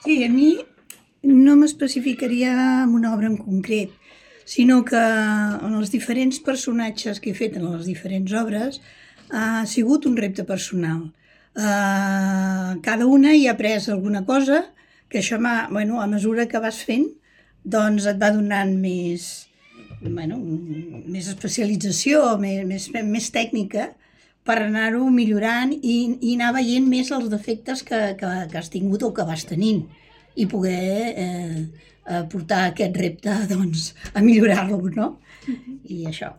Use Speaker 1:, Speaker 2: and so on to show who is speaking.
Speaker 1: Sí, a mi no m'especificaria en una obra en concret, sinó que en els diferents personatges que he fet en les diferents obres ha sigut un repte personal. Cada una hi ha après alguna cosa que això a mesura que vas fent, doncs et va donant més especialització, més tècnica per anar-ho millorant i anar veient més els defectes que has tingut o que vas tenint i poder portar aquest repte doncs, a millorar-lo, no? I això.